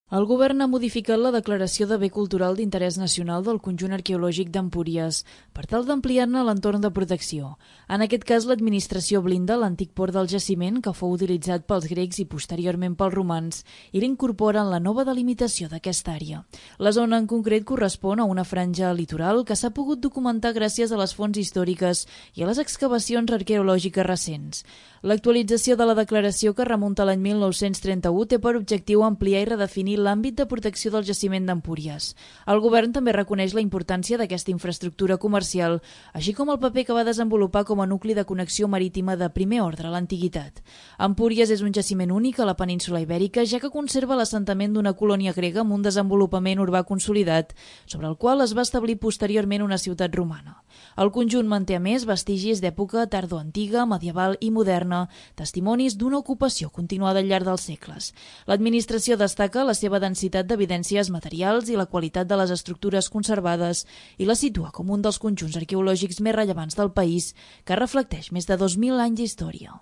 El govern ha modificat la declaració de bé cultural d'interès nacional del conjunt arqueològic d'Empúries per tal d'ampliar-ne l'entorn de protecció. En aquest cas, l'administració blinda l'antic port del jaciment, que fou utilitzat pels grecs i posteriorment pels romans, i l'incorpora en la nova delimitació d'aquesta àrea. La zona en concret correspon a una franja litoral que s'ha pogut documentar gràcies a les fonts històriques i a les excavacions arqueològiques recents. L'actualització de la declaració, que remunta a l'any 1931, té per objectiu ampliar i redefinir l'àmbit de protecció del jaciment d'Empúries. El govern també reconeix la importància d'aquesta infraestructura comercial, així com el paper que va desenvolupar com a nucli de connexió marítima de primer ordre a l'antiguitat. Empúries és un jaciment únic a la península Ibèrica, ja que conserva l'assentament d'una colònia grega amb un desenvolupament urbà consolidat, sobre el qual es va establir posteriorment una ciutat romana. El conjunt manté a més vestigis d'època tardoantiga, medieval i moderna, testimonis d'una ocupació continuada al llarg dels segles. L'administració destaca la seva densitat d'evidències materials i la qualitat de les estructures conservades i la situa com un dels conjunts arqueològics més rellevants del país, que reflecteix més de 2.000 anys d'història.